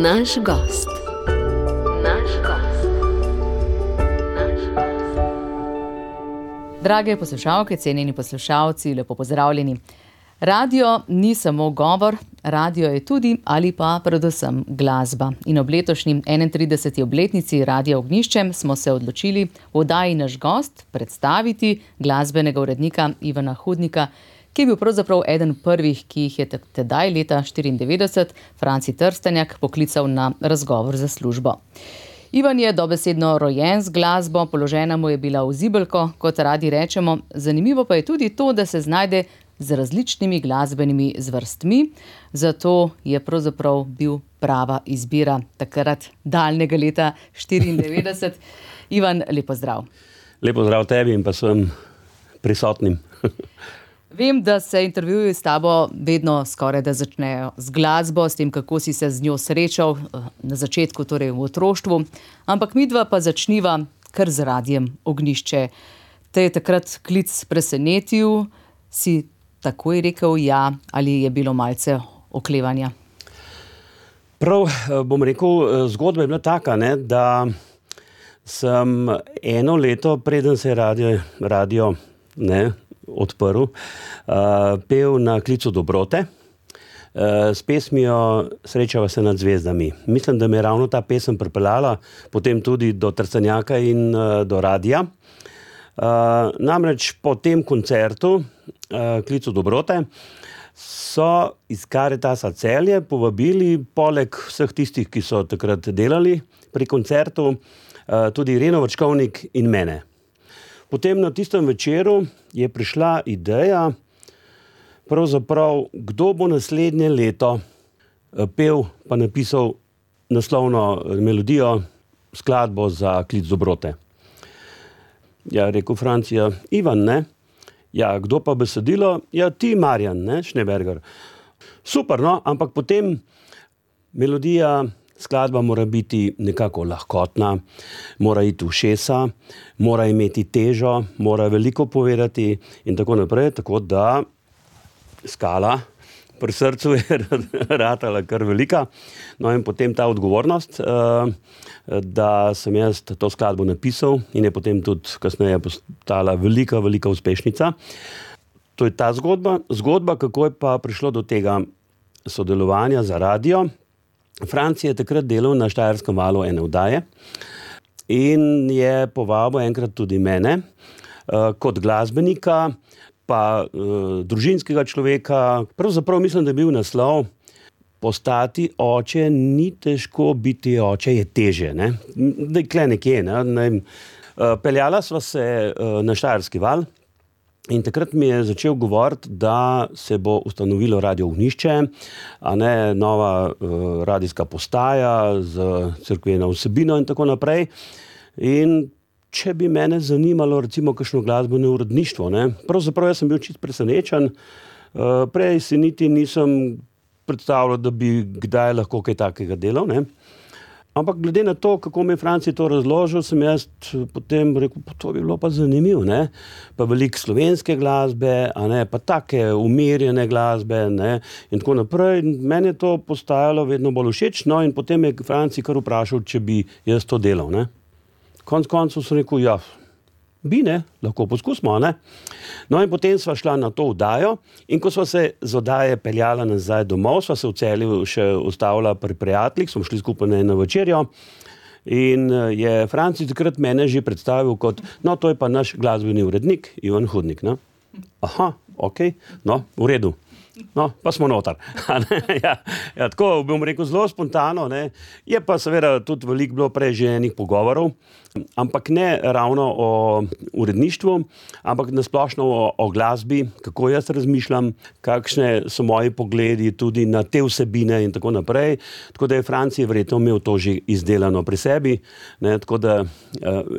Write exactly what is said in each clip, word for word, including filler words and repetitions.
Naš gost. Naš gost. Naš gost. Drage poslušalke, cenjeni poslušalci, lepo pozdravljeni. Radio ni samo govor, radio je tudi ali pa predvsem glasba. In ob letošnji enaintrideseti obletnici Radia Ognjišče smo se odločili v oddaji Naš gost predstaviti glasbenega urednika Ivana Hudnika, ki je bil pravzaprav eden prvih, ki jih je tedaj leta štiriindevetdeset Franci Trstenjak poklical na razgovor za službo. Ivan je dobesedno rojen z glasbo, položena mu je bila v zibelko, kot radi rečemo. Zanimivo pa je tudi to, da se znajde z različnimi glasbenimi zvrstmi, zato je pravzaprav bil prava izbira takrat daljnega leta štiriindevetdeset. Ivan, lep pozdrav. Lep pozdrav tebi in pa svojim prisotnim. Vem, da se intervjuji s tabo vedno skoraj da začnejo z glasbo, s tem, kako si se z njo srečal na začetku, torej v otroštvu, ampak midva pa začniva kar z Radiem Ognjišče. Te je takrat klic presenetil, si takoj rekel ja, ali je bilo malce oklevanja? Prav, bom rekel, zgodba je bila taka, ne, da sem eno leto, preden se je radio, radio ne, odprl, uh, pel na klicu dobrote, uh, s pesmijo Srečava se nad zvezdami. Mislim, da me je ravno ta pesem pripeljala potem tudi do Trstenjaka in uh, do radia. Uh, namreč po tem koncertu, uh, klicu dobrote, so iz Karitasa Celje povabili, poleg vseh tistih, ki so takrat delali pri koncertu, uh, tudi Ireno Vrčkovnik in mene. Potem na tistem večeru je prišla ideja, pravzaprav, kdo bo naslednje leto pel pa napisal naslovno melodijo, skladbo za klic dobrote. Ja, rekel Francija, Ivan, ne? Ja, kdo pa besedilo? Ja, ti, Marjan, ne, Schneeberger. Super, no, ampak potem melodija, skladba mora biti nekako lahkotna, mora iti v ušesa, mora imeti težo, mora veliko povedati in tako naprej, tako da skala pri srcu je ratala kar velika. No in potem ta odgovornost, da sem jaz to skladbo napisal in je potem tudi kasneje postala velika, velika uspešnica. To je ta zgodba. Zgodba, kako je pa prišlo do tega sodelovanja za radio. Franci je takrat delal na Štajerskem valu ene oddaje in je povabil enkrat tudi mene kot glasbenika, pa družinskega človeka. Pravzaprav mislim, da je bil naslov Postati oče ni težko, biti oče je teže. Ne? Da je kle nekje. Ne? Ne? Peljala sva se na Štajerski val. In takrat mi je začel govoriti, da se bo ustanovilo Radio Ognjišče, a ne nova uh, radijska postaja z cerkveno vsebino in tako naprej. In če bi mene zanimalo recimo kakšno glasbeno uredništvo, ne, pravzaprav jaz sem bil čisto presenečen, uh, prej si niti nisem predstavljal, da bi kdaj lahko kaj takega delal, ne. Ampak glede na to, kako mi je Franci to razložil, sem jaz potem rekel, pa to bi bilo pa zanimivo, ne? Pa veliko slovenske glasbe, a ne, pa take umirjene glasbe, ne, in tako naprej. Meni je to postajalo vedno bolj všeč, no, in potem je Franci kar vprašal, če bi jaz to delal, ne. Konec koncev sem rekel, ja, bi, ne, lahko poskusimo, ne. No, in potem sva šla na to oddajo in ko sva se z oddaje peljala nazaj domov, sva se v Celju še ustavila pri prijateljih, smo šli skupaj na eno večerjo in je Franci takrat mene že predstavil kot, no, to je pa naš glasbeni urednik, Ivan Hudnik, ne. Aha, okej, no, v redu. No, pa smo notar. ja, ja, tako bom rekel zelo spontano, ne. Je pa seveda tudi veliko bilo prej že enih pogovorov, ampak ne ravno o uredništvu, ampak nasplošno o, o glasbi, kako jaz razmišljam, kakšne so moji pogledi tudi na te vsebine in tako naprej. Tako da je Franci verjetno imel to že izdelano pri sebi, ne, tako da uh,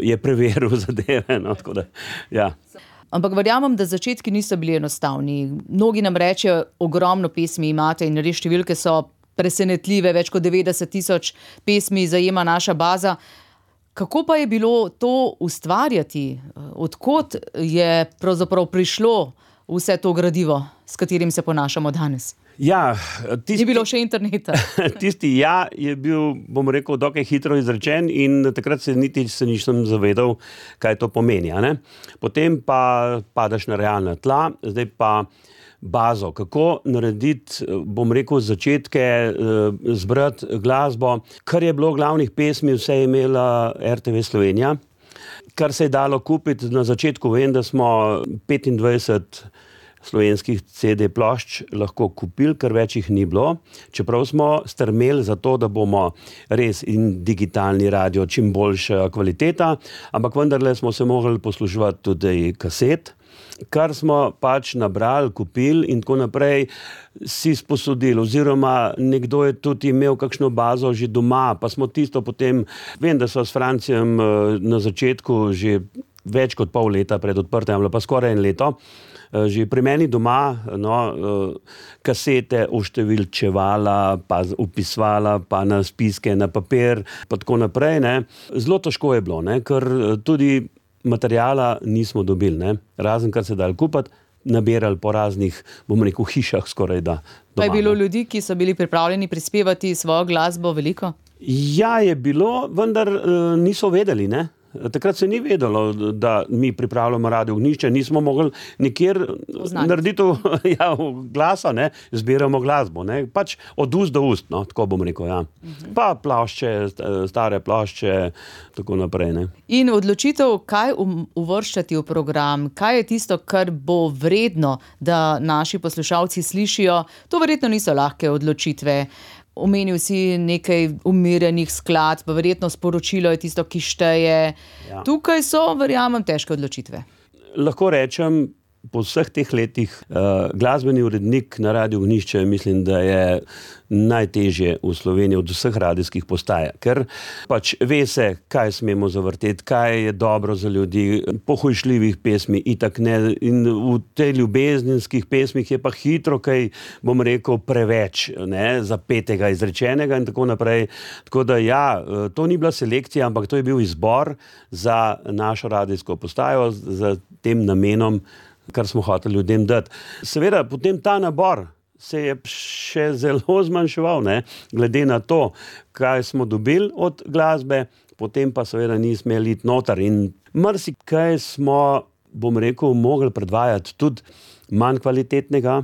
je preveril zadeve, no, tako da, ja. Ampak verjamem, da začetki niso bili enostavni. Mnogi nam rečejo, ogromno pesmi imate in res številke so presenetljive, več kot devetdeset tisoč pesmi zajema naša baza. Kako pa je bilo to ustvarjati? Od kod je pravzaprav prišlo vse to gradivo, s katerim se ponašamo danes? Ja, tisti, Ni bilo še interneta. Tisti ja je bil, bom rekel, dokaj hitro izrečen in takrat se niti se nisem zavedal, kaj to pomeni. A ne? Potem pa padaš na realna tla, zdaj pa bazo, kako narediti, bom rekel, začetke, zbrati glasbo, kar je bilo glavnih pesmi, vse je imela R T V Slovenija, kar se je dalo kupiti na začetku, vem, da smo petindvajset slovenskih C D plošč lahko kupili, ker več jih ni bilo, čeprav smo strmeli za to, da bomo res in digitalni radio, čim boljša kvaliteta, ampak vendarle smo se mogli posluževati tudi kaset, kar smo pač nabrali, kupili in tako naprej si sposodili, oziroma nekdo je tudi imel kakšno bazo že doma, pa smo tisto potem, vem, da so s Francijem na začetku že več kot pol leta pred odprtem, ali pa skoraj en leto, že pri meni doma, no, kasete oštevilčevala, pa upisvala, pa na spiske, na papir, pa tako naprej, ne. Zelo težko je bilo, ne, ker tudi materijala nismo dobili, ne, razen kar se dali kupiti, nabirali po raznih, bom rekel, hišah skoraj da. Doma, pa je bilo ne. ljudi, ki so bili pripravljeni prispevati svojo glasbo veliko? Ja, je bilo, vendar uh, niso vedeli, ne. Takrat se ni vedelo, da mi pripravljamo Radio Ognjišče, nismo mogli nikjer Oznaniti. narediti ja, glasa, ne, zbiramo glasbo, ne, pač od ust do ust, no, tako bom rekel, ja. Uh-huh. Pa plošče, stare plošče, tako naprej, ne. In odločitev, kaj uvrščati v program, kaj je tisto, kar bo vredno, da naši poslušalci slišijo, to verjetno niso lahke odločitve. Omenil si nekaj umirjenih skladb, pa verjetno sporočilo je tisto, ki šteje. Ja. Tukaj so, verjamem, težke odločitve. Lahko rečem, po vseh teh letih uh, glasbeni urednik na Radio Ognjišče, mislim, da je najtežje v Sloveniji od vseh radijskih postaj, ker pač ve se, kaj smemo zavrteti, kaj je dobro za ljudi, pohujšljivih pesmi itak ne, in v tej ljubezenskih pesmih je pa hitro kaj, bom rekel, preveč, ne, zapetega, izrečenega in tako naprej. Tako da ja, to ni bila selekcija, ampak to je bil izbor za našo radijsko postajo, za tem namenom, kar smo hoteli ljudem dati. Seveda, potem ta nabor se je še zelo zmanjševal, ne, glede na to, kaj smo dobili od glasbe, potem pa seveda nismo imeli iti noter in marsikaj smo, bom rekel, mogli predvajati tudi manj kvalitetnega,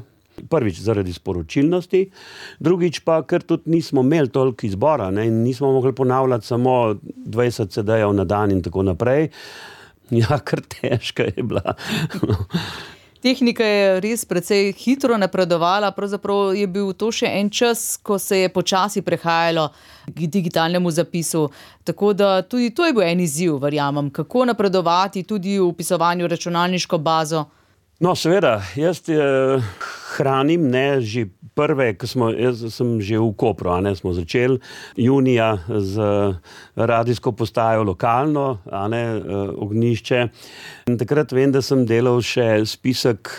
prvič zaradi sporočilnosti, drugič pa, ker tudi nismo imeli toliko izbora, ne, in nismo mogli ponavljati samo dvajset C D-jev na dan in tako naprej. Ja, kar težka je bila. Tehnika je res precej hitro napredovala, pravzaprav je bil to še en čas, ko se je počasi prehajalo k digitalnemu zapisu. Tako da tudi to je bil en izziv, verjamem, kako napredovati tudi v vpisovanju računalniško bazo. No, seveda, jaz eh, hranim, ne, že prve, ko smo, jaz sem že v Kopru, a ne, smo začeli junija z radijsko postajo lokalno, a ne, Ognjišče. In takrat vem, da sem delal še spisek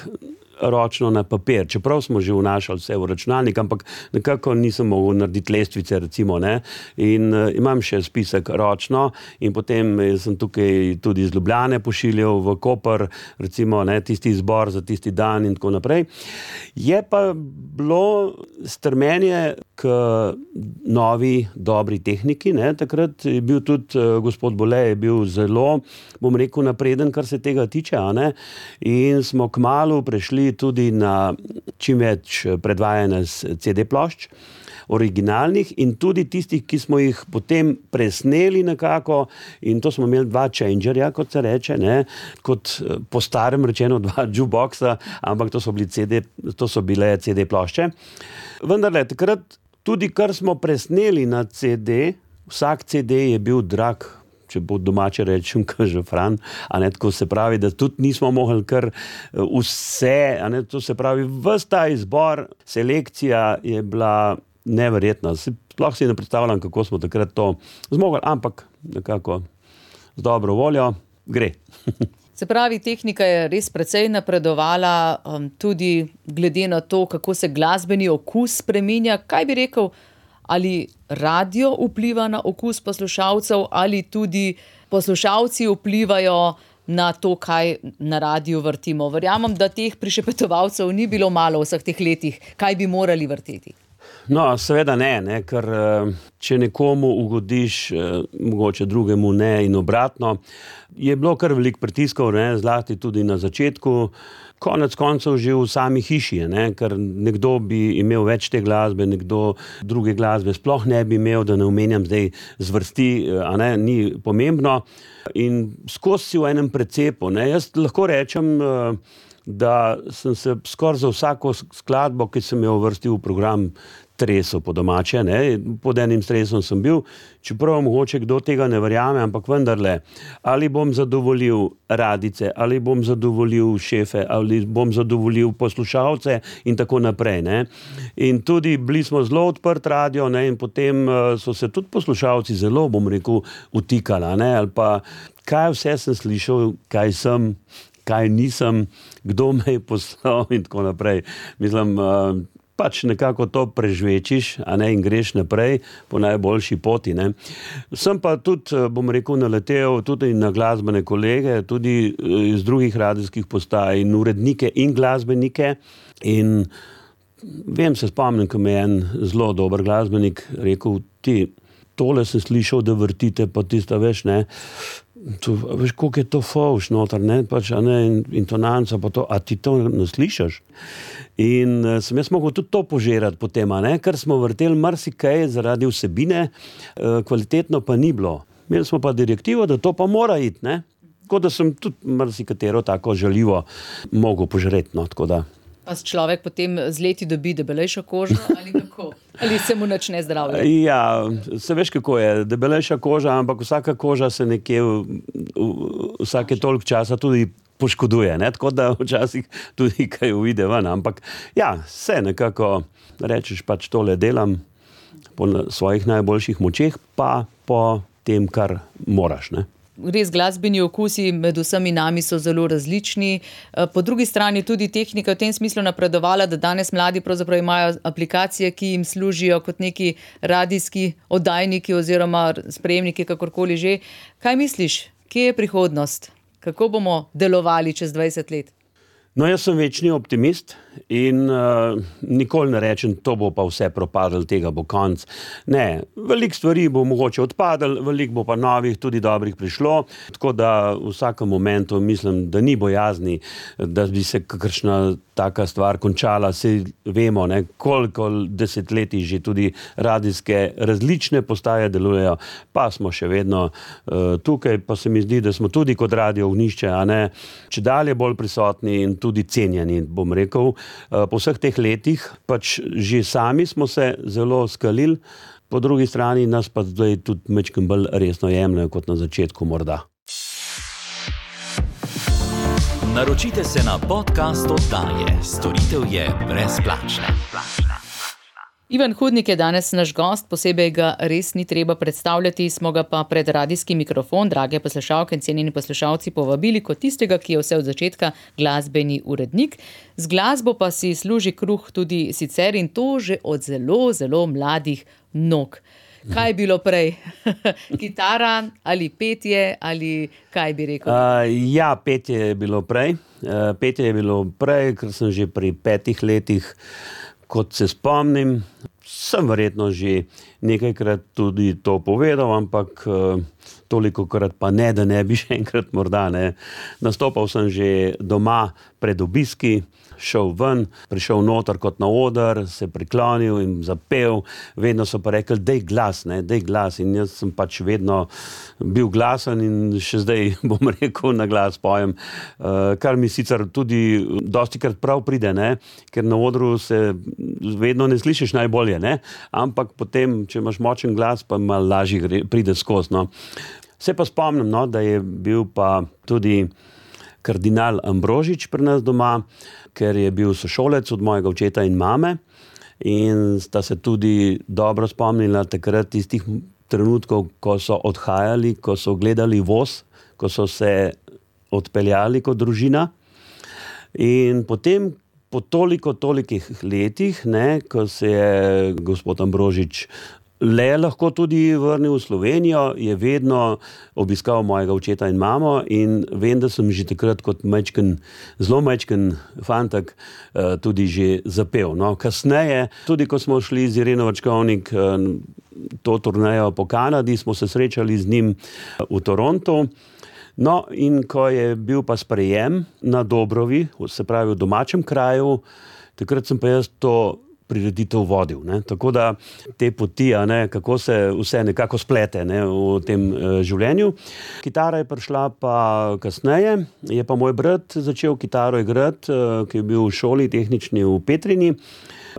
ročno na papir, čeprav smo že vnašali vse v računalnik, ampak nekako nisem mogel narediti lestvice, recimo, ne, in uh, imam še spisek ročno in potem sem tukaj tudi iz Ljubljane pošiljal v Koper, recimo, ne, tisti izbor za tisti dan in tako naprej. Je pa bilo strmenje k novi, dobri tehniki, ne, takrat je bil tudi uh, gospod Bole je bil zelo, bom rekel, napreden, kar se tega tiče, a ne, in smo kmalu prešli tudi na čim več predvajanja z C D plošč, originalnih in tudi tistih, ki smo jih potem presneli nekako, in to smo imeli dva changerja, kot se reče, ne, kot po starem rečeno dva jukeboxa, ampak to so bili C D, to so bile C D plošče. Vendarle, takrat tudi kar smo presneli na C D, vsak C D je bil drag, če bo domače rečem, kaže Fran, a ne, tako se pravi, da tudi nismo mogli kar vse, a ne, to se pravi, ves ta izbor, selekcija je bila neverjetna. Sploh si ne predstavljam, kako smo takrat to zmogli, ampak nekako z dobro voljo gre. Se pravi, tehnika je res precej napredovala, um, tudi glede na to, kako se glasbeni okus spreminja. Kaj bi rekel, ali radio vpliva na okus poslušalcev, ali tudi poslušalci vplivajo na to, kaj na radiju vrtimo. Verjamem, da teh prišepetovalcev ni bilo malo v vseh teh letih, kaj bi morali vrteti. No, seveda ne, ne, ker če nekomu ugodiš, mogoče drugemu ne in obratno, je bilo kar veliko pritiskov, ne, zlasti tudi na začetku, konec koncev že v sami hiši, ne, ker nekdo bi imel več te glasbe, nekdo druge glasbe sploh ne bi imel, da ne omenjam zdaj zvrsti, a ne, ni pomembno. In skozi si v enem precepu, ne, jaz lahko rečem, da sem se skoraj za vsako skladbo, ki sem jo uvrstil v program, stresel po domače, ne, pod enim stresom sem bil, čeprav mogoče kdo tega ne verjame, ampak vendarle, ali bom zadovoljil radice, ali bom zadovoljil šefe, ali bom zadovoljil poslušalce in tako naprej, ne. In tudi bili smo zelo odprt radio, ne, in potem so se tudi poslušalci zelo, bom rekel, utikala, ne, ali pa kaj vse sem slišal, kaj sem, kaj nisem, kdo me je poslal in tako naprej. Mislim, pač nekako to prežvečiš, a ne, in greš naprej po najboljši poti, ne. Sem pa tudi, bom rekel, naletel tudi na glasbene kolege, tudi iz drugih radijskih postaj in urednike in glasbenike in vem, se spomnim, ko me je en zelo dober glasbenik rekel, ti, tole sem slišal, da vrtite, pa tista, veš, ne, to, veš, koliko je to fovš noter, ne, pač, a ne, intonanca, pa to, a ti to ne slišaš? In uh, sem jaz mogel tudi to požirati potem, a ne, ker smo vrteli marsikaj zaradi vsebine, uh, kvalitetno pa ni bilo. Imeli smo pa direktivo, da to pa mora iti, ne, tako da sem tudi marsikatero tako žaljivo mogel požreti, no, tako da. Pa človek potem z leti dobi debelejšo kožo ali kako? Ali se mu nič ne zdravlja? Ja, se veš, kako je, debelejša koža, ampak vsaka koža se nekje v, v, vsake toliko časa tudi poškoduje, ne? Tako da včasih tudi kaj uide ven, ampak ja, se nekako rečeš, pač tole delam po svojih najboljših močeh, pa po tem, kar moraš, ne. Res glasbeni okusi med vsemi nami so zelo različni. Po drugi strani tudi tehnika v tem smislu napredovala, da danes mladi pravzaprav imajo aplikacije, ki jim služijo kot neki radijski oddajniki oziroma sprejemniki, kakorkoli že. Kaj misliš, kje je prihodnost? Kako bomo delovali čez dvajset let? No, jaz sem večni optimist in uh, nikoli ne rečem, to bo pa vse propadlo, tega bo konc. Ne, veliko stvari bo mogoče odpadlo, veliko bo pa novih, tudi dobrih prišlo, tako da v vsakem momentu mislim, da ni bojazni, da bi se kakršna taka stvar končala. Saj vemo, ne, koliko desetletij že tudi radijske različne postaje delujejo, pa smo še vedno uh, tukaj, pa se mi zdi, da smo tudi kot radio Ognjišče, a ne, čedalje bolj prisotni in tudi cenjeni, bom rekel. Po vseh teh letih, pač že sami smo se zelo skalili, po drugi strani nas pa zdaj tudi majčkeno bolj resno jemljejo kot na začetku morda. Naročite se na podcast oddaje. Storitev je brezplačna. Ivan Hudnik je danes naš gost, posebej ga res ni treba predstavljati, smo ga pa pred radijski mikrofon, drage poslušalke in cenjeni poslušalci, povabili kot tistega, ki je vse od začetka glasbeni urednik. Z glasbo pa si služi kruh tudi sicer in to že od zelo, zelo mladih nog. Kaj je bilo prej? Kitara ali petje ali kaj bi rekel? Uh, ja, petje je bilo prej. Uh, petje je bilo prej, ker sem že pri petih letih, kot se spomnim, sem verjetno že nekajkrat tudi to povedal, ampak uh, tolikokrat pa ne, da ne bi še enkrat morda, ne. Nastopal sem že doma pred obiski, šel ven, prišel noter kot na oder, se priklonil in zapel, vedno so pa rekli, dej glas, ne, dej glas, in jaz sem pač vedno bil glasen in še zdaj, bom rekel, na glas pojem, uh, kar mi sicer tudi dostikrat prav pride, ne, ker na odru se vedno ne slišiš najbolje, ne, ampak potem, če imaš močen glas, pa malo lažje pride skozi, no. Se pa spomnim, no, da je bil pa tudi kardinal Ambrožič pri nas doma, ker je bil sošolec od mojega očeta in mame in sta se tudi dobro spomnila takrat tistih trenutkov, ko so odhajali, ko so gledali voz, ko so se odpeljali kot družina. In potem, po toliko, tolikih letih, ne, ko se je gospod Ambrožič le lahko tudi vrnil v Slovenijo, je vedno obiskal mojega očeta in mamo in vem, da sem že takrat kot majčken, zelo majčken fantak tudi že zapel. No, kasneje, tudi ko smo šli z Ireno Vačkovnik to turnejo po Kanadi, smo se srečali z njim v Torontu. No, in ko je bil pa sprejem na Dobrovi, se pravi v domačem kraju, takrat sem pa jaz to prireditev vodil. Ne. Tako da te poti, a ne, kako se vse nekako splete, ne, v tem uh, življenju. Kitara je prišla pa kasneje, je pa moj brat začel kitaro igrati, uh, ki je bil v šoli tehnični v Petrini.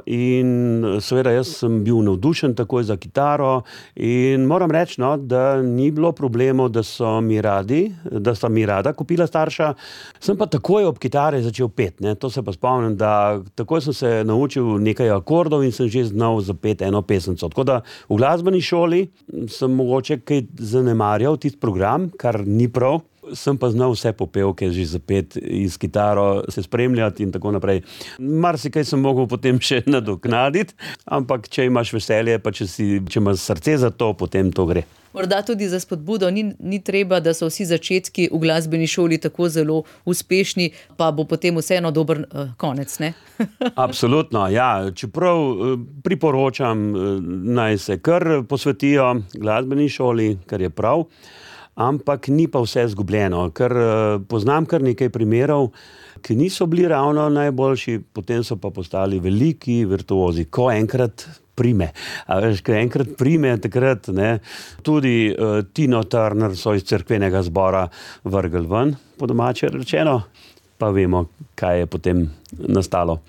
In seveda jaz sem bil navdušen takoj za kitaro in moram reči, no, da ni bilo problemov, da so mi radi, da sta mi rada kupila starša. Sem pa takoj ob kitare začel pet, ne. To se pa spomnim, da takoj sem se naučil nekaj akordov in sem že znal zapeti eno pesemco. Tako da v glasbeni šoli sem mogoče kaj zanemarjal tisti program, kar ni prav. Sem pa znal vse popevke že zapeti iz kitaro, se spremljati in tako naprej. Marsikaj sem mogel potem še nadoknaditi, ampak če imaš veselje, pa če, si, če imaš srce za to, potem to gre. Morda tudi za spodbudo, ni, ni treba, da so vsi začetki v glasbeni šoli tako zelo uspešni, pa bo potem vseeno dober uh, konec, ne? Absolutno, ja. Čeprav uh, priporočam, uh, naj se kar posvetijo glasbeni šoli, kar je prav. Ampak ni pa vse zgubljeno, ker poznam kar nekaj primerov, ki niso bili ravno najboljši, potem so pa postali veliki virtuozi, ko enkrat prime. A veš, ko enkrat prime, takrat, ne, tudi uh, Tino Turner so iz cerkvenega zbora vrgli ven, po domače rečeno, pa vemo, kaj je potem nastalo.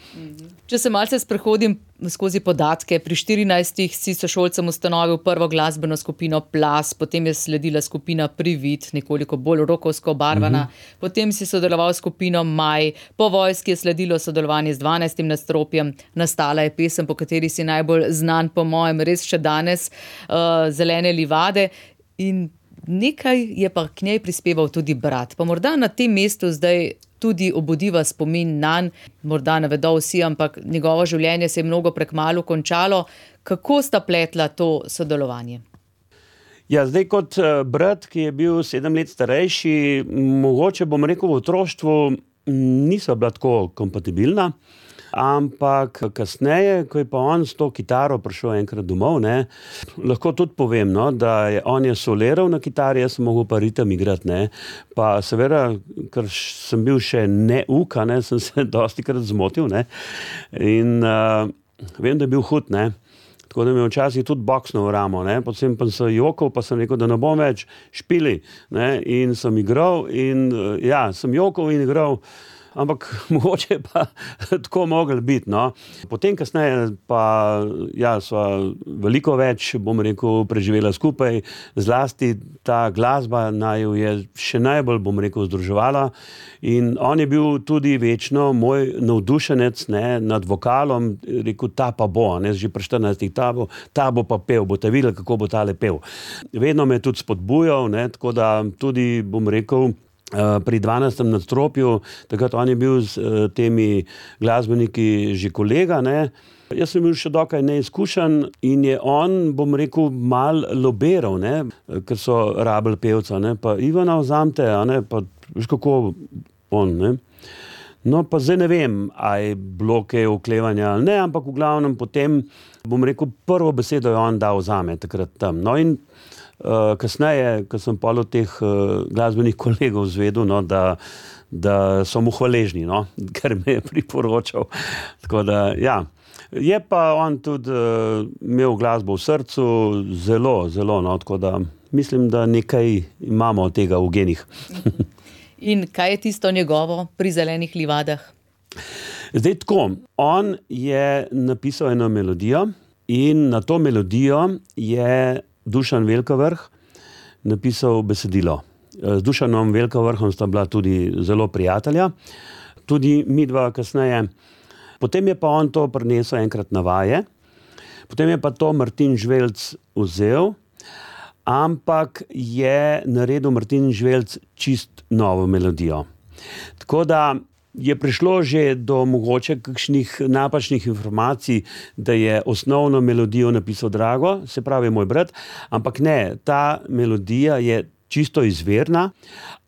Če se malce sprehodim skozi podatke, pri štirinajstih si sošolcem ustanovil prvo glasbeno skupino Plas, potem je sledila skupina Privid, nekoliko bolj rokovsko obarvana, mm-hmm. potem si sodeloval s skupino Maj, po vojski je sledilo sodelovanje z dvanajstim nadstropjem, nastala je pesem, po kateri si najbolj znan, po mojem, res še danes, uh, Zelene livade, in nekaj je pa k njej prispeval tudi brat. Pa morda na tem mestu zdaj tudi obudiva spomin nanj, morda ne vedo vsi, ampak njegovo življenje se je mnogo prekmalu končalo. Kako sta pletla to sodelovanje? Ja, zdaj kot brat, ki je bil sedem let starejši, mogoče bom rekel v otroštvu niso bila tako kompatibilna, ampak kasneje, ko je pa on s to kitaro prišel enkrat domov, ne, lahko tudi povem, no, da je on je soliral na kitari, jaz sem mogel pa ritem igrati, ne, pa seveda, ker sem bil še neuk, ne, sem se dostikrat zmotil, ne, in uh, vem, da je bil hud, ne, tako da mi je včasih tudi boksnil v ramo, ne, potem pa sem jokal, pa sem rekel, da ne bom več špili, ne, in sem igral in uh, ja, sem jokal in igral, ampak mogoče pa tako mogli biti, no. Potem kasneje pa, ja, sva veliko več, bom rekel, preživela skupaj, zlasti ta glasba naju je še najbolj, bom rekel, združevala in on je bil tudi večno moj navdušenec, ne, nad vokalom, rekel, ta pa bo, ne, že pri štirinajstih, ta bo, ta bo pa pel, boste videli, kako bo tale pel. Vedno me je tudi spodbujal, ne, tako da tudi, bom rekel, pri dvanajstem nadstropju, takrat on je bil s temi glasbeniki že kolega, ne. Jaz sem bil še dokaj neizkušen in je on, bom rekel, mal lobiral, ne, ker so rabili pevca, ne, pa Ivana vzamte, a ne, pa veš kako on, ne. No, pa zdaj ne vem, a je bilo kaj oklevanja ali ne, ampak v glavnem potem, bom rekel, prvo besedo je on dal zame takrat tam. No in Uh, kasneje, ko sem pol od teh uh, glasbenih kolegov zvedel, no, da, da so mu hvaležni, no, ker me je priporočal. Tako da, ja, je pa on tudi uh, imel glasbo v srcu zelo, zelo, no, tako da mislim, da nekaj imamo od tega v genih. In kaj je tisto njegovo pri Zelenih livadah? Zdaj tako, on je napisal eno melodijo in na to melodijo je Dušan Velkavrh napisal besedilo. Z Dušanom Velkavrhom sta bila tudi zelo prijatelja, tudi midva kasneje. Potem je pa on to prinesel enkrat na vaje, potem je pa to Martin Žvelc vzel, ampak je naredil Martin Žvelc čist novo melodijo. Tako da je prišlo že do mogoče kakšnih napačnih informacij, da je osnovno melodijo napisal Drago, se pravi moj brat, ampak ne, ta melodija je čisto izvirna,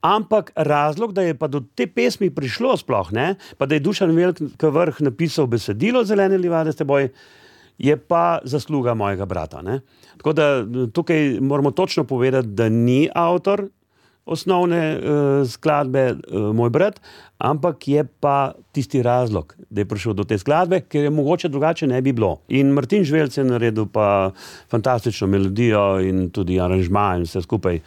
ampak razlog, da je pa do te pesmi prišlo sploh, ne, pa da je Dušan Veliki Vrh napisal besedilo Zelene livade s teboj, je pa zasluga mojega brata, ne. Tako da tukaj moramo točno povedati, da ni avtor osnovne uh, skladbe uh, moj brat, ampak je pa tisti razlog, da je prišel do te skladbe, ker je mogoče drugače ne bi bilo. In Martin Žvelc je naredil pa fantastično melodijo in tudi aranžma in vse skupaj.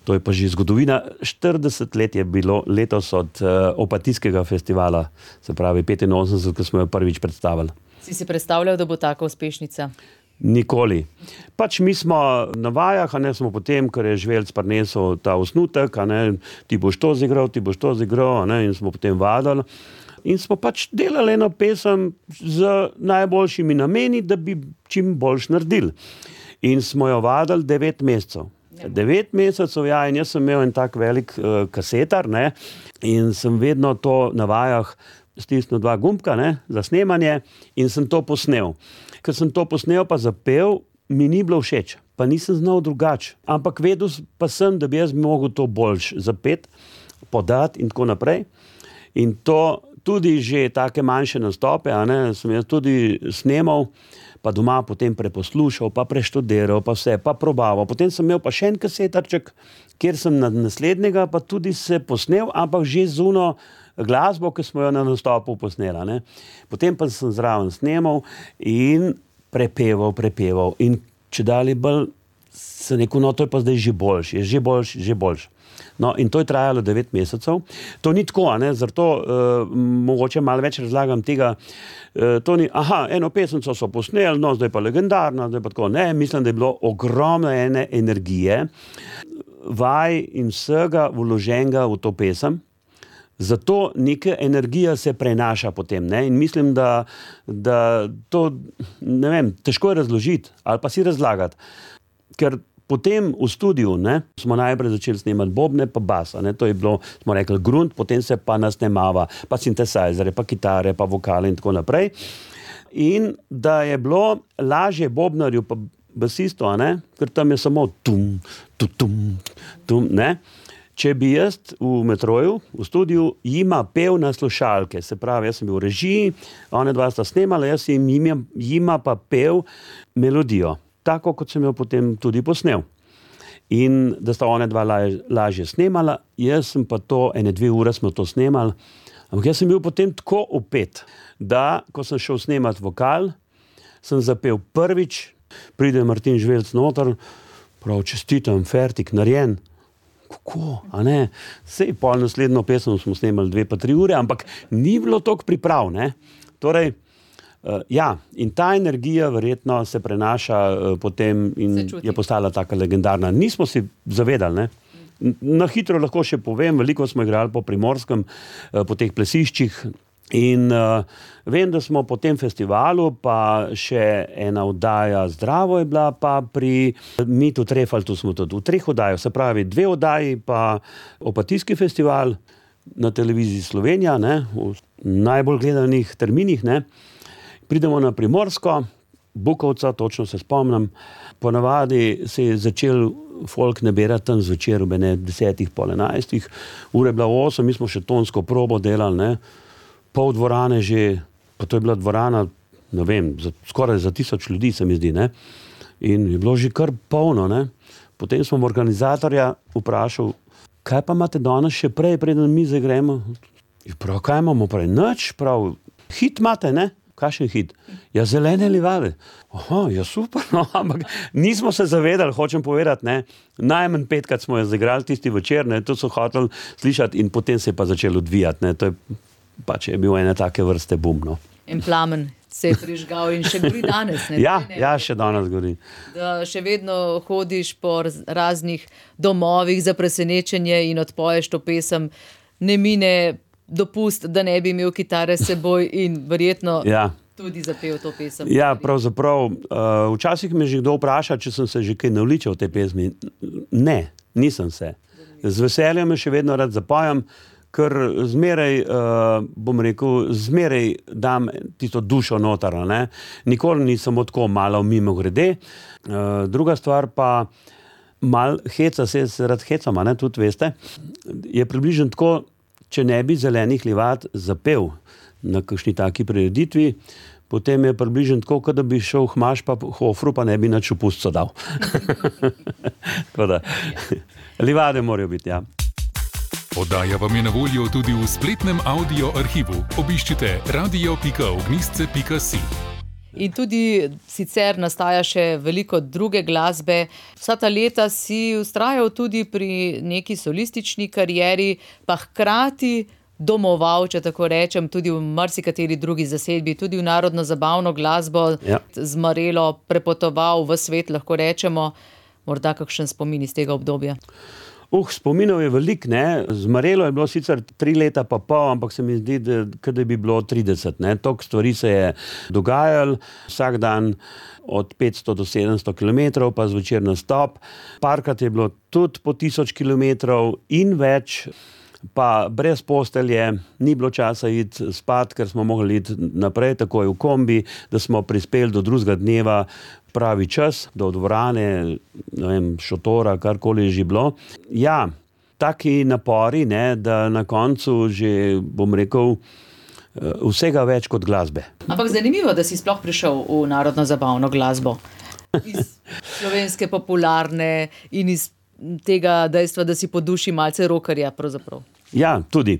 To je pa že zgodovina. štirideset let je bilo letos od uh, Opatijskega festivala, se pravi petinosemdeset, ko smo jo prvič predstavili. Si si predstavljal, da bo taka uspešnica? Nikoli. Pač mi smo na vajah, a ne smo potem, ker je Žvelc prinesel ta osnutek, a ne, ti boš to zigral, ti boš to zigral, a ne, in smo potem vadali. In smo pač delali eno pesem z najboljšimi nameni, da bi čim boljš naredili. In smo jo vadili devet mesecev. Devet mesecev, ja, in jaz sem imel en tak velik uh, kasetar, ne, in sem vedno to na vajah stisnil dva gumbka, ne, za snemanje in sem to posnel. Ker sem to posnel pa zapel, mi ni bilo všeč, pa nisem znal drugače. Ampak vedel pa sem, da bi jaz mogel to boljš zapet, podati in tako naprej. In to tudi že take manjše nastope, a ne, sem jaz tudi snemal, pa doma potem preposlušal, pa preštudiral, pa vse, pa probaval. Potem sem imel pa še en kasetarček, kjer sem na naslednjega pa tudi se posnel, ampak že z uno glasbo, ki smo jo na nastopu posnela, ne. Potem pa sem zraven snemal in prepeval, prepeval. In če dalje bolj se rekel, no, to je pa zdaj že boljš, je že boljš, že boljš. No, in to je trajalo devet mesecev. To ni tako, a ne, zato uh, mogoče malo več razlagam tega. Uh, to ni, aha, eno pesemco so posneli, no, zdaj pa legendarna, zdaj pa tako. Ne, mislim, da je bilo ogromno ene energije, vaj in vsega vloženega v to pesem. Zato neka energija se prenaša potem, ne, in mislim, da, da to, ne vem, težko je razložiti ali pa si razlagati, ker potem v studiu, ne, smo najprej začeli snemati bobne pa basa, ne, to je bilo, smo rekli, grunt, potem se pa nasnemava, pa sintesajzere, pa kitare, pa vokale in tako naprej. In da je bilo lažje bobnarju pa basistu, a ne, ker tam je samo tum, tum, tum, tum, ne. Če bi jaz v metroju, v studiu, jima pel na slušalke, se pravi, jaz sem bil v režiji, one dva sta snemala, jaz jim jima, jima pa pel melodijo, tako kot sem jo potem tudi posnel. In da sta one dva laž, lažje snemala, jaz sem pa to, ene dve ure smo to snemali, ampak jaz sem bil potem tako upet, da, ko sem šel snemati vokal, sem zapel prvič, pride Martin Žvelc noter, prav čestitam, fertik, narejen. Kako, a ne? Sej pol naslednjo pesem smo snemali dve pa tri ure, ampak ni bilo toliko priprav, ne? Torej, uh, ja, in ta energija verjetno se prenaša uh, potem in je postala taka legendarna. Nismo si zavedali, ne? Na hitro lahko še povem, veliko smo igrali po Primorskem, uh, po teh plesiščih. In uh, vem, da smo po tem festivalu, pa še ena oddaja Zdravo je bila, pa pri Mitu Trefaltu smo tudi v treh oddajah, se pravi dve oddaji, pa Opatijski festival na televiziji Slovenija, ne, v najbolj gledanih terminih, ne. Pridemo na Primorsko, Bukovca, točno se spomnim, ponavadi se je začel folk nabirati tam zvečer, ob ene desetih, pol enajstih, ure je bila osem, mi smo še tonsko probo delali, ne. Pol dvorane že, pa to je bila dvorana, ne vem, za, skoraj za tisoč ljudi se mi zdi, ne. In je bilo že kar polno, ne. Potem smo organizatorja vprašal, kaj pa imate danes še prej, preden mi zagremo? Prav, kaj imamo prej? Nič, prav, hit imate, ne? Kakšen hit? Ja, Zelene livade. Aha, ja super, no, ampak nismo se zavedali, hočem povedati, ne. Najmanj petkrat smo jo zagrali tisti večer, ne, to so hoteli slišati in potem se je pa začelo odvijati, ne, to je pač je bil ene take vrste bum, no. En plamen se je prižgal in še gori danes, ne? Ja, ne, ja, še danes gori. Da še vedno hodiš po raznih domovih za presenečenje in odpoješ to pesem, ne mine dopust, da ne bi imel kitare s seboj in verjetno ja. Tudi zapel to pesem. Ja, pravzaprav, uh, včasih me že kdo vpraša, če sem se že kaj navličal v tej pesmi. Ne, nisem se. Z veseljem me še vedno rad zapojam, ker zmeraj, uh, bom rekel, zmeraj dam tisto dušo noter, ne. Nikoli ni samo tako malo mimo grede. Uh, druga stvar pa, mal heca, se jaz rad hecam, ne, tudi veste, je približno tako, če ne bi Zelenih livad zapel na kakšni taki prireditvi, potem je približno tako, kot da bi šel Hmaš pa Hofru, pa ne bi nič v pustco dal. Tako da, livade morajo biti, ja. Oddaja vam je na voljo tudi v spletnem audio arhivu. Obiščite radio pika ognjišče pika si. In tudi sicer nastaja še veliko druge glasbe. Vsa ta leta si vztrajal tudi pri neki solistični karieri, pa hkrati domoval, če tako rečem, tudi v marsikateri drugi zasedbi, tudi v narodno zabavno glasbo, Ja. z Marelo prepotoval v svet, lahko rečemo. Morda kakšen spomin iz tega obdobja. Uh, spominov je veliko, ne. Z Marelo je bilo sicer tri leta pa pol, ampak se mi zdi, da, da bi bilo trideset, ne. Toliko stvari se je dogajalo, vsak dan od petsto do sedemsto kilometrov, pa zvečer nastop. Parkrat je bilo tudi po tisoč kilometrov in več, pa brez postelje, ni bilo časa iti spat, ker smo mogli iti naprej, takoj v kombi, da smo prispeli do drugega dneva pravi čas, do dvorane, ne vem, šotora, karkoli je že bilo. Ja, taki napori, ne, da na koncu že, bom rekel, vsega več kot glasbe. Ampak zanimivo, da si sploh prišel v narodno zabavno glasbo. Iz slovenske popularne in iz tega dejstva, da si po duši malce rockerja pravzaprav. Ja, tudi.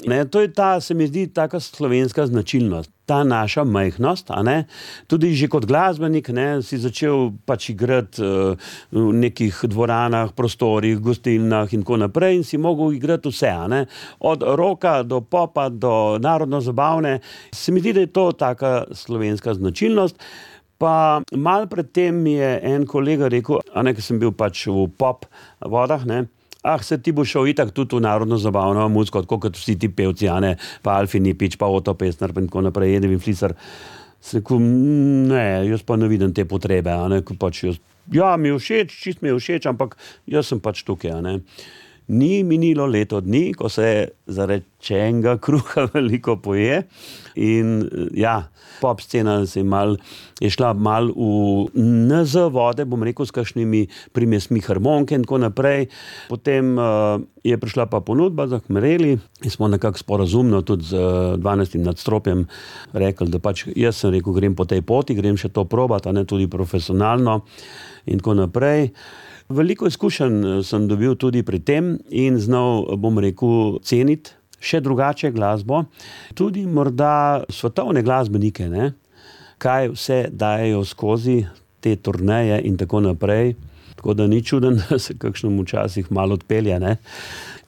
Ne, to je ta, se mi zdi, taka slovenska značilnost. Ta naša majhnost, a ne, tudi že kot glasbenik, ne, si začel pač igrati uh, v nekih dvoranah, prostorih, gostilnah in tako naprej in si mogel igrati vse, a ne, od rocka do popa do narodno zabavne. Se mi zdi, da je to taka slovenska značilnost. Pa malo pred tem mi je en kolega rekel, a ne, ker sem bil pač v pop vodah, ne, ah, se ti bo šel itak tudi v narodno zabavno muziko, tako kot vsi ti pevci, a ne, pa Alfi Nipič, pa Oto Pestner, in tako naprej, Edwin Fliser. Se rekel, ne, jaz pa ne vidim te potrebe, a ne, ko pač jaz, ja, mi je všeč, čist mi je všeč, ampak jaz sem pač tukaj, a ne. Ni minilo leto dni, ko se zarečenega kruha veliko poje in ja, pop scena se je, mal, je šla mal v N Z vode, bom rekel, s kakšnimi primesmi harmonke in tako naprej. Potem uh, je prišla pa ponudba za Mareli in smo nekako sporazumno tudi z dvanajstim nadstropjem rekli, da pač jaz sem rekel, grem po tej poti, grem še to probati, a ne tudi profesionalno in tako naprej. Veliko izkušenj sem dobil tudi pri tem in znal, bom rekel, ceniti še drugače glasbo. Tudi morda svetovne glasbenike, ne? Kaj vse dajejo skozi te turneje in tako naprej. Tako da ni čuden, da se kakšnemu včasih malo odpelje, ne?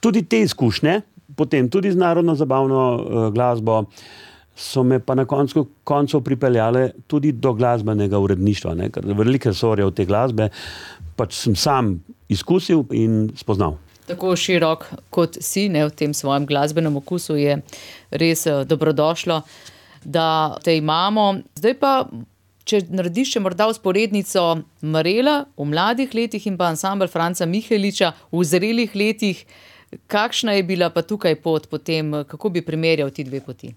Tudi te izkušnje, potem tudi z narodno zabavno uh, glasbo, so me pa na koncu koncev pripeljale tudi do glasbenega uredništva, ne? Ker velike sorje od te glasbe pač sem sam izkusil in spoznal. Tako širok kot si, ne, v tem svojem glasbenem okusu je res dobrodošlo, da te imamo. Zdaj pa, če narediš še morda vzporednico Marela v mladih letih in pa ansambel Franca Miheliča v zrelih letih, kakšna je bila pa tukaj pot potem, kako bi primerjal ti dve poti?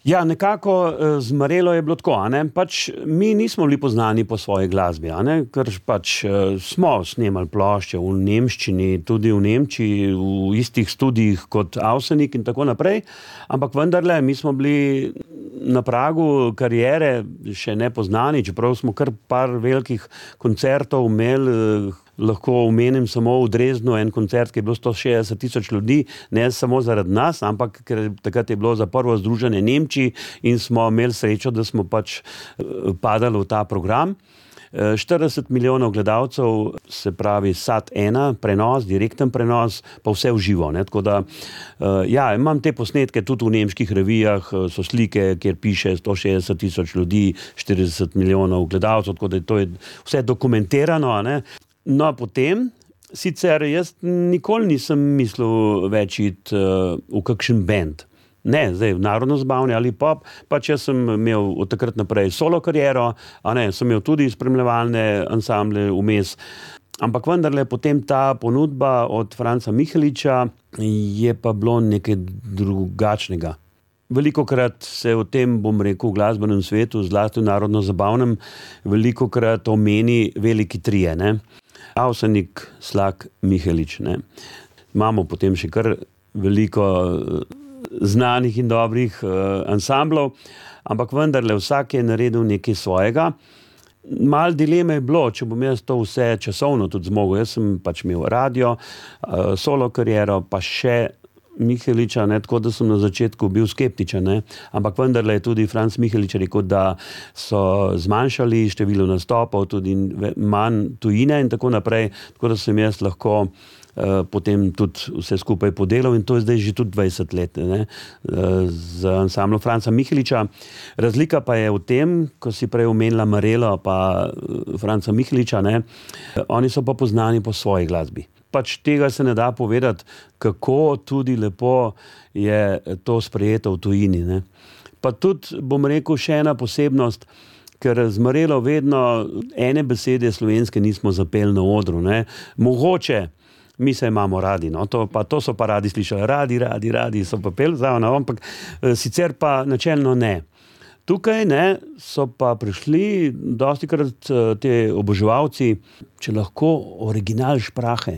Ja, nekako z Marelo je bilo tako, a ne, pač mi nismo bili poznani po svoji glasbi, a ne, ker pač smo snemali plošče v nemščini, tudi v Nemčiji, v istih studijih kot Avsenik in tako naprej, ampak vendarle, mi smo bili na pragu kariere še nepoznani, čeprav smo kar par velikih koncertov imeli. Lahko omenim samo v Dresdnu en koncert, ki je bilo sto šestdeset tisoč ljudi, ne samo zaradi nas, ampak ker takrat je bilo za prvo združenje Nemčiji in smo imeli srečo, da smo pač padali v ta program. štirideset milijonov gledalcev, se pravi S A T ena, prenos, direkten prenos, pa vse v živo, ne, tako da, ja, imam te posnetke tudi v nemških revijah, so slike, kjer piše sto šestdeset tisoč ljudi, štirideset milijonov gledalcev, tako da to je vse dokumentirano, a ne. No, potem, sicer jaz nikoli nisem mislil več iti uh, v kakšen band. Ne, zdaj v narodno zabavni ali pop, pač jaz sem imel od takrat naprej solo kariero, a ne, sem imel tudi spremljevalne ansamble vmes. Ampak vendarle potem ta ponudba od Franca Miheliča je pa bilo nekaj drugačnega. Velikokrat se o tem, bom rekel, v glasbenem svetu, zlasti v narodno-zabavnem, velikokrat omeni veliki trije, ne. Avsenik, Slak, Mihelič, ne. Imamo potem še kar veliko znanih in dobrih uh, ansamblov, ampak vendarle vsak je naredil nekaj svojega. Mal dileme je bilo, če bom jaz to vse časovno tudi zmogel. Jaz sem pač imel radio, uh, solo kariero, pa še Miheliča, ne, tako da sem na začetku bil skeptičen, ne, ampak vendarle je tudi Franc Mihelič rekel, da so zmanjšali število nastopov, tudi manj tujine in tako naprej, tako da sem jaz lahko uh, potem tudi vse skupaj podelal in to je zdaj že tudi dvajset let, ne, uh, z ansamblom Franca Miheliča. Razlika pa je v tem, ko si prej omenila Marelo pa Franca Miheliča, ne, oni so pa poznani po svoji glasbi. Pač tega se ne da povedati, kako tudi lepo je to sprejeto v tujini, ne. Pa tudi, bom rekel, še ena posebnost, ker z Marelo vedno ene besede slovenske nismo zapeli na odru, ne. Mogoče, mi se imamo radi, no, to, pa, to so pa radi slišali, radi, radi, radi so pa peli zraven, ampak sicer pa načelno ne. Tukaj, ne, so pa prišli dostikrat te oboževalci, če lahko original šprahe.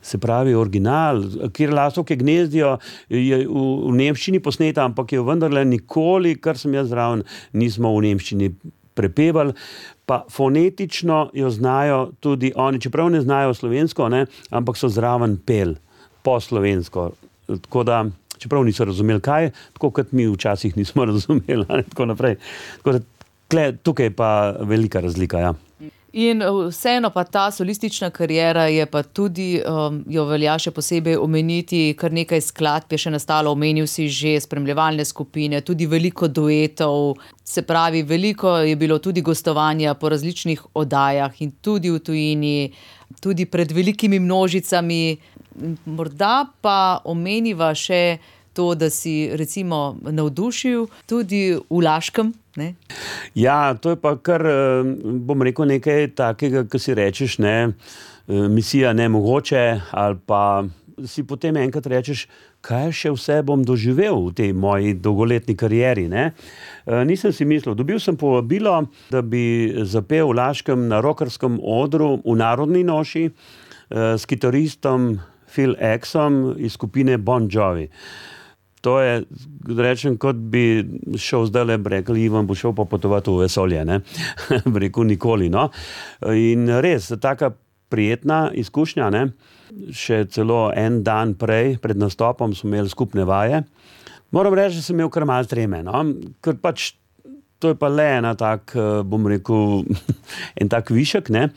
Se pravi, original, kjer lasovke gnezdijo, je v, v nemščini posneta, ampak je vendarle nikoli, kar sem jaz zraven, nismo v nemščini prepevali, pa fonetično jo znajo tudi oni, čeprav ne znajo slovensko, ne, ampak so zraven pel po slovensko. Tako da, čeprav niso razumeli kaj, tako kot mi včasih nismo razumeli, ne, tako naprej. Tako da, tle, tukaj je pa velika razlika, ja. In vseeno pa ta solistična kariera je pa tudi, um, jo velja še posebej omeniti, kar nekaj skladb je še nastalo, omenil si že spremljevalne skupine, tudi veliko duetov, se pravi, veliko je bilo tudi gostovanja po različnih oddajah in tudi v tujini, tudi pred velikimi množicami. Morda pa omeniva še to, da si recimo navdušil tudi v Laškem, ne? Ja, to je pa kar, bom rekel, nekaj takega, ko si rečeš, ne, misija nemogoče, ali pa si potem enkrat rečeš, kaj še vse bom doživel v tej moji dolgoletni karieri, ne. Nisem si mislil, dobil sem povabilo, da bi zapel v Laškem na rockerskem odru v Narodni noši s kitaristom Phil Exom iz skupine Bon Jovi. To je, rečem, kot bi šel zdajle, rekel, Ivan bo šel pa potovati v vesolje, ne. Rekel, nikoli, no. In res, taka prijetna izkušnja, ne. Še celo en dan prej, pred nastopom, smo imeli skupne vaje. Moram reči, da sem imel kar malo treme, no. Ker pač, to je pa le ena tak, bom rekel, en tak višek, ne.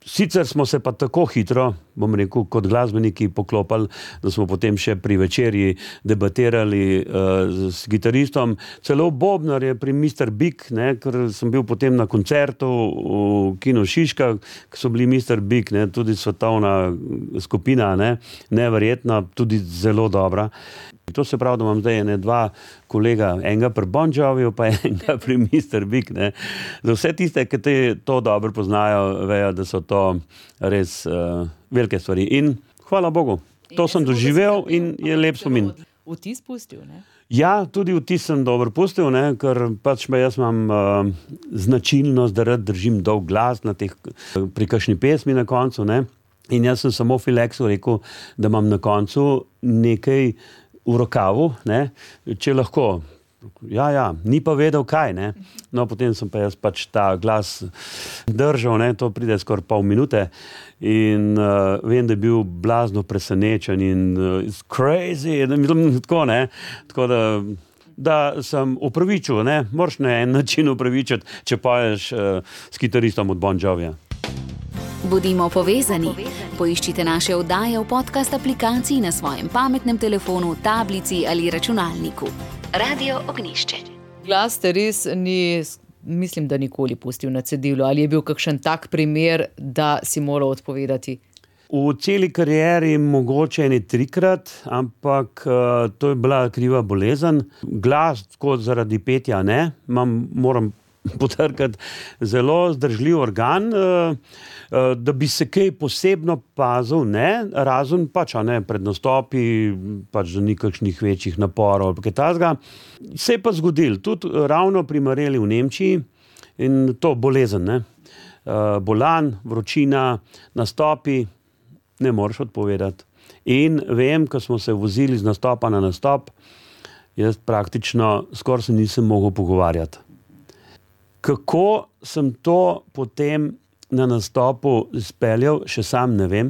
Sicer smo se pa tako hitro, bom rekel, kot glasbeniki poklopali, da smo potem še pri večerji debatirali uh, s gitaristom. Celo bobnar je pri mister Big, ne, ker sem bil potem na koncertu v Kinu Šiška, ki so bili mister Big, ne, tudi svetovna skupina, ne, neverjetna, tudi zelo dobra. To se pravi, da imam zdaj ene dva kolega, enega pri Bon Joviju, pa enega pri mister Big, ne. Za vse tiste, ki te to dobro poznajo, vejo, da so to res uh, velike stvari. In hvala Bogu, to sem doživel in je lep spomin. Vtis pustil, ne? Ja, tudi vtis sem dobro pustil, ne, ker pač jaz imam uh, značilnost, da rad držim dolg glas na teh, pri kakšni pesmi na koncu, ne. In jaz sem samo Filexu rekel, da imam na koncu nekaj v rokavu, ne, če lahko. Ja, ja, ni pa vedel kaj, ne. No, potem sem pa jaz pač ta glas držal, ne, to pride skoraj pol minute in uh, vem, da je bil blazno presenečen in uh, it's crazy, tako, ne, tako da, da sem upravičil, ne, moraš na en način upravičiti, če poješ uh, s kitaristom od Bon Jovija. Bodimo povezani. Poiščite naše oddaje v podcast aplikaciji na svojem pametnem telefonu, tablici ali računalniku. Radio Ognjišče. Glas te res ni, mislim, da nikoli pustil na cedilu. Ali je bil kakšen tak primer, da si moral odpovedati? V celi karieri mogoče ene trikrat, ampak uh, to je bila kriva bolezen. Glas, tako zaradi petja, ne, Mam, moram potrkati zelo zdržljiv organ, da bi se kaj posebno pazil, ne, razen pač, a ne, pred nastopi, pač da ni kakšnih večjih naporov ali kaj takega. Se je pa zgodilo, tudi ravno pri Mareli v Nemčiji, in to bolezen, ne, bolan, vročina, nastopi, ne moreš odpovedati. In vem, ko smo se vozili z nastopa na nastop, jaz praktično skoraj se nisem mogel pogovarjati. Kako sem to potem na nastopu izpeljal, še sam ne vem,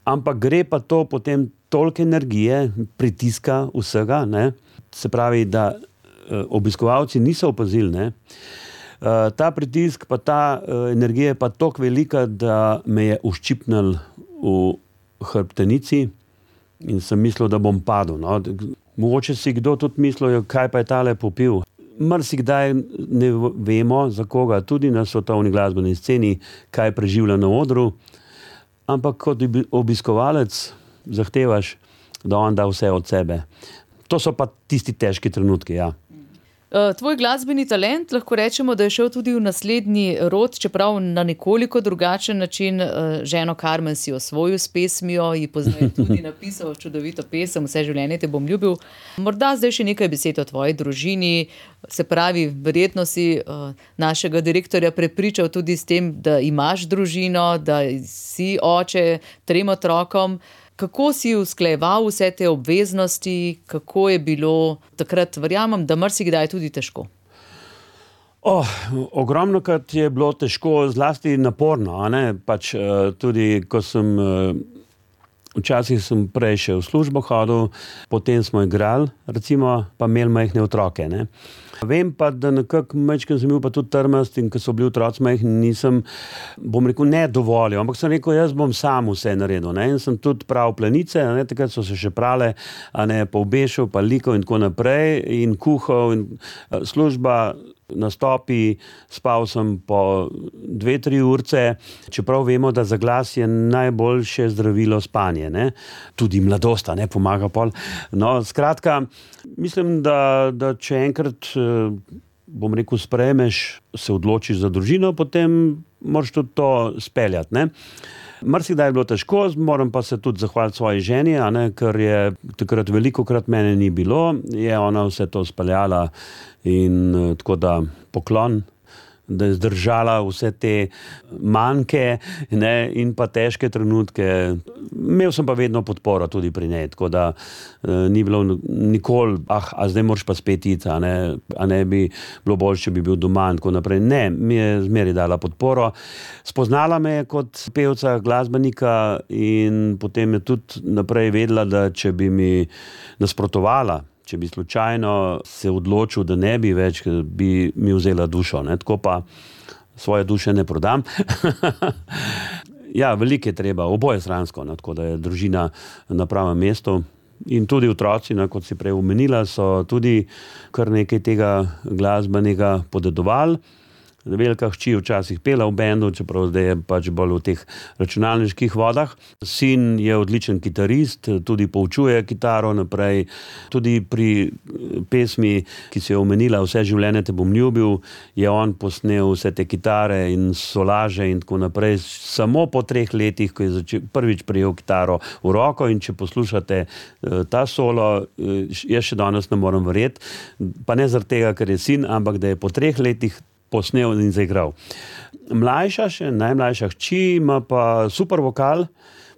ampak gre pa to potem toliko energije, pritiska vsega, ne? Se pravi, da obiskovalci niso opazili, ne? Ta pritisk pa ta energija je pa toliko velika, da me je uščipnil v hrbtenici in sem mislil, da bom padel. No? Mogoče si kdo tudi mislil, kaj pa je tale popil. Marsikdaj ne vemo, za koga, tudi na svetovni glasbeni sceni, kaj preživlja na odru, ampak kot obiskovalec zahtevaš, da on da vse od sebe. To so pa tisti težki trenutki, ja. Tvoj glasbeni talent, lahko rečemo, da je šel tudi v naslednji rod, čeprav na nekoliko drugačen način. Ženo Karmen si osvojil s pesmijo, ji pozneje tudi napisal čudovito pesem Vse življenje te bom ljubil. Morda zdaj še nekaj besed o tvoji družini, se pravi, verjetno si našega direktorja prepričal tudi s tem, da imaš družino, da si oče trem otrokom. Kako si usklajeval vse te obveznosti, kako je bilo takrat, verjamem, da marsikdaj tudi težko? Oh, ogromno krat je bilo težko, zlasti naporno, a ne, pač tudi, ko sem, včasih sem prej še v službo hodil, potem smo igrali, recimo, pa imeli majhne otroke, ne. Vem pa, da nekako majčkeno sem bil pa tudi trmast in ko so bili otroci majhni, nisem, bom rekel, ne dovolil, ampak sem rekel, jaz bom sam vse naredil, ne, in sem tudi prav planice, a ne, takrat so se še prale, a ne, pa obešal, pa likal in tako naprej in kuhal in služba, nastopi, spal sem po dve, tri urce, čeprav vemo, da za glas je najboljše zdravilo spanje, ne, tudi mladost, a ne, pomaga pol. No, skratka, mislim, da, da če enkrat, bom rekel, sprejmeš, se odločiš za družino, potem moraš tudi to speljati, ne. Marsikdaj je bilo težko, moram pa se tudi zahvaliti svoji ženi, a ne, ker je takrat velikokrat mene ni bilo, je ona vse to speljala in tako da poklon, da je zdržala vse te manjke, ne, in pa težke trenutke. Imel sem pa vedno podporo tudi pri njej, tako da eh, ni bilo nikoli, ah, a zdaj moraš pa spet iti, a ne, a ne bi bilo bolj, če bi bil doma in tako naprej. Ne, mi je zmeraj dala podporo. Spoznala me je kot pevca, glasbenika in potem je tudi naprej vedela, da če bi mi nasprotovala, če bi slučajno se odločil, da ne bi več, bi mi vzela dušo, ne, tako pa svoje duše ne prodam. Ja, veliko je treba, oboje stransko, ne, tako da je družina na pravem mestu in tudi otroci, ne, kot si prej omenila, so tudi kar nekaj tega glasbenega podedovali. Velika hči včasih pela v bendu, čeprav zdaj je pač bolj v teh računalniških vodah. Sin je odličen kitarist, tudi poučuje kitaro naprej. Tudi pri pesmi, ki si jo omenila, Vse življenje te bom ljubil, je on posnel vse te kitare in solaže in tako naprej. Samo po treh letih, ko je začel, prvič prijel kitaro v roko, in če poslušate ta solo, jaz še danes ne morem verjeti, pa ne zaradi tega, ker je sin, ampak da je po treh letih posnel in zaigral. Mlajša še, najmlajša hči ima pa super vokal,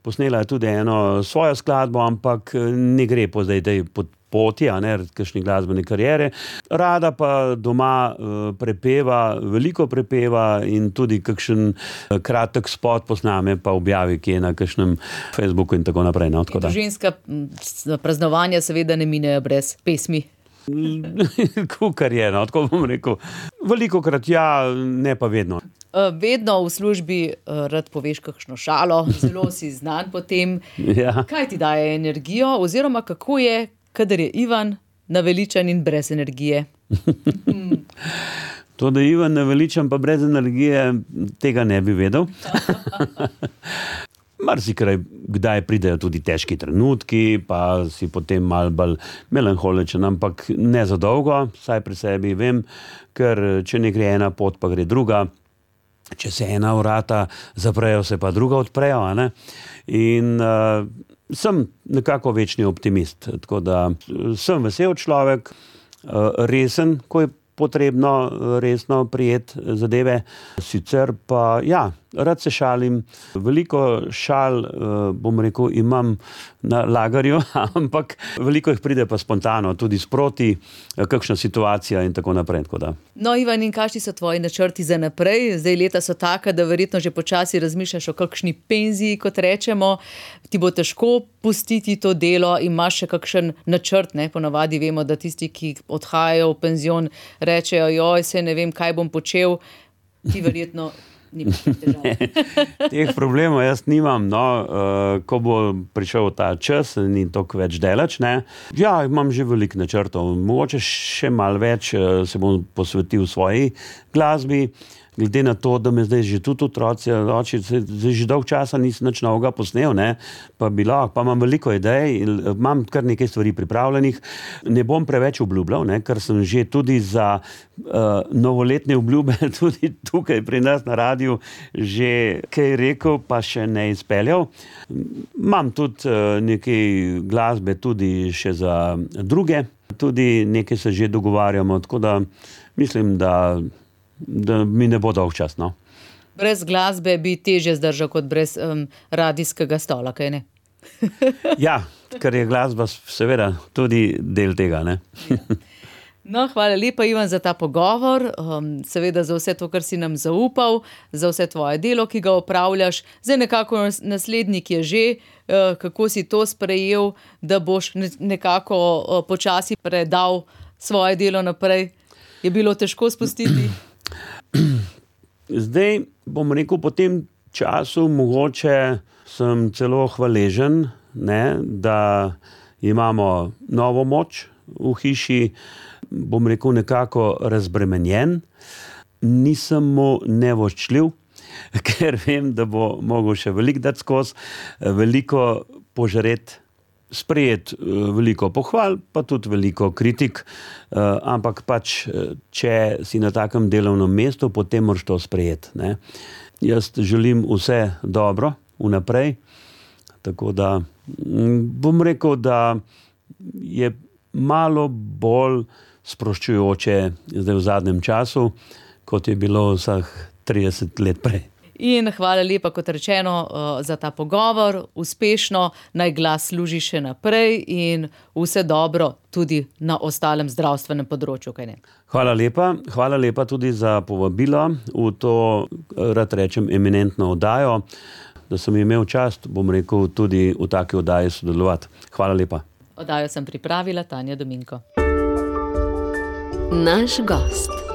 posnela je tudi eno svojo skladbo, ampak ne gre po zdaj tej poti, a ne, kakšni glasbeni kariere. Rada pa doma uh, prepeva, veliko prepeva in tudi kakšen uh, kratek spot posname, pa objavi kje na kakšnem Facebooku in tako naprej. No, tako da. Družinska praznovanja seveda ne minejo brez pesmi. Kukar je, no, tako bom rekel. Velikokrat ja, ne pa vedno. Vedno v službi rad poveš kakšno šalo, zelo si znan po tem. Ja. Kaj ti daje energijo, oziroma kako je, kadar je Ivan naveličan in brez energije? To, da je Ivan naveličan pa brez energije, tega ne bi vedel. Marsikaj kdaj pridejo tudi težki trenutki, pa si potem malo bolj melanholičen, ampak ne za dolgo, saj pri sebi vem, ker če ne gre ena pot, pa gre druga. Če se ena vrata zaprejo, se pa druga odprejo, a ne? In uh, sem nekako večni optimist, tako da sem vesel človek, uh, resen, ko je potrebno resno prijeti zadeve. Sicer pa, ja, rad se šalim. Veliko šal, bom rekel, imam na lagarju, ampak veliko jih pride pa spontano, tudi sproti, kakšna situacija in tako naprej. Tako da. No, Ivan, in kakšni so tvoji načrti za naprej? Zdaj leta so taka, da verjetno že počasi razmišljaš o kakšni penziji, kot rečemo. Ti bo težko pustiti to delo, imaš še kakšen načrt, ne? Ponavadi vemo, da tisti, ki odhajajo v penzion, rečejo, joj, se ne vem, kaj bom počel. Ti verjetno ni težav. Teh problemov jaz nimam, no, uh, ko bo prišel ta čas, ni toliko več delač, ne. Ja, imam že veliko načrtov, mogoče še malo več uh, se bom posvetil svoji glasbi, glede na to, da me zdaj že tudi otroci, oči, zdaj že dolg časa nisem nič novega posnel, ne, pa bi lahko, pa imam veliko idej, imam kar nekaj stvari pripravljenih, ne bom preveč obljubljal, ne, ker sem že tudi za uh, novoletne obljube tudi tukaj pri nas na radiju že kaj rekel, pa še ne izpeljal. Imam tudi uh, nekaj glasbe tudi še za druge, tudi nekaj se že dogovarjamo, tako da mislim, da da mi ne bo dolg čas, no. Brez glasbe bi težje zdržal kot brez um, radijskega stola, kaj ne? Ja, ker je glasba seveda tudi del tega, ne. No, hvala lepa, Ivan, za ta pogovor, um, seveda za vse to, kar si nam zaupal, za vse tvoje delo, ki ga opravljaš. Zdaj nekako naslednik je že, uh, kako si to sprejel, da boš nekako uh, počasi predal svoje delo naprej. Je bilo težko spustiti? Zdaj bom rekel, po tem času mogoče sem celo hvaležen, ne, da imamo novo moč v hiši, bom rekel nekako razbremenjen, nisem mu nevoščljiv, ker vem, da bo mogel še veliko dati skozi, veliko požreti, sprejeti veliko pohval, pa tudi veliko kritik, ampak pač, če si na takem delovnem mestu, potem moraš to sprejeti, ne. Jaz želim vse dobro vnaprej, tako da bom rekel, da je malo bolj sproščujoče zdaj v zadnjem času, kot je bilo vseh trideset let prej. In hvala lepa, kot rečeno, za ta pogovor, uspešno, naj glas služi še naprej in vse dobro tudi na ostalem zdravstvenem področju, kaj ne? Hvala lepa, hvala lepa tudi za povabilo v to, rad rečem, eminentno oddajo, da sem imel čast, bom rekel, tudi v taki oddaji sodelovati. Hvala lepa. Oddajo sem pripravila Tanja Dominko. Naš gost.